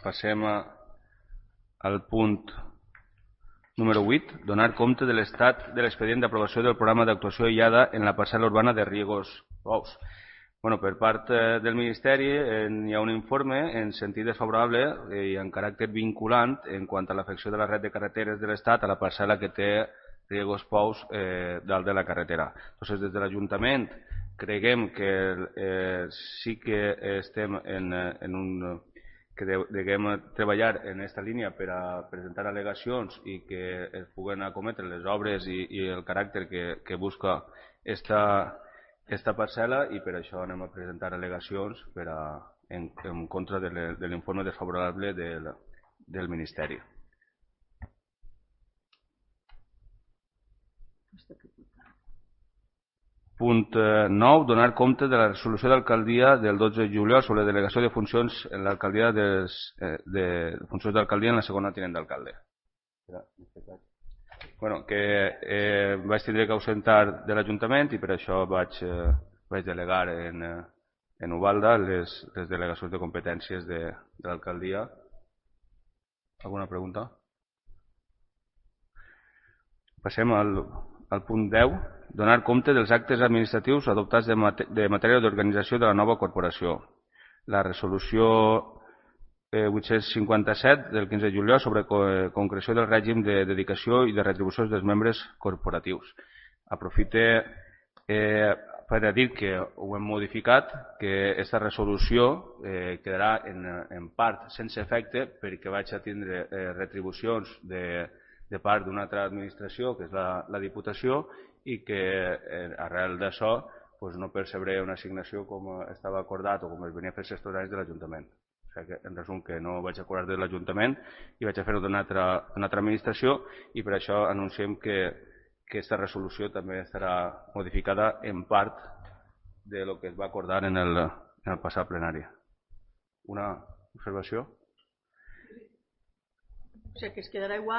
Passem al punt número 8, donar compte de l'estat de l'expedient d'aprovació del programa d'actuació aïllada en la parcel·la urbana de Riegos Pous. Per part del Ministeri hi ha un informe en sentit desfavorable i en caràcter vinculant en quant a l'afecció de la red de carreteres de l'Estat a la parcel·la que té Riegos Pous dalt de la carretera. Des de l'Ajuntament creguem que sí que estem que deguem treballar en aquesta línia per a presentar al·legacions i que es puguen acometre les obres i el caràcter que busca esta parcel·la, i per això anem a presentar al·legacions en contra de l'informe desfavorable del Ministeri. Punt 9. Donar compte de la resolució d'alcaldia del 12 de juliol sobre delegació de funcions en l'alcaldia de funcions d'alcaldia en la segona tinent d'alcalde. Que vaig tindre que ausentar de l'Ajuntament i per això vaig delegar en Ubalda les delegacions de competències de l'alcaldia. Alguna pregunta? Passem al punt 10. Donar compte dels actes administratius adoptats de matèria d'organització de la nova corporació. La resolució 857 del 15 de juliol sobre concreció del règim de dedicació i de retribucions dels membres corporatius. Aprofite per a dir que ho hem modificat, que aquesta resolució quedarà en part sense efecte perquè vaig a tindre retribucions de part d'una altra administració, que és la Diputació, i que arrel d'això no percebré una assignació com estava acordat o com es venia a fer els anys de l'Ajuntament. O sigui que, en resum, que no vaig acordar de l'Ajuntament i vaig a fer-ho d'una altra administració, i per això anunciem que aquesta resolució també estarà modificada en part de lo que es va acordar en el passat plenari. Una observació? O sigui que es quedarà igual.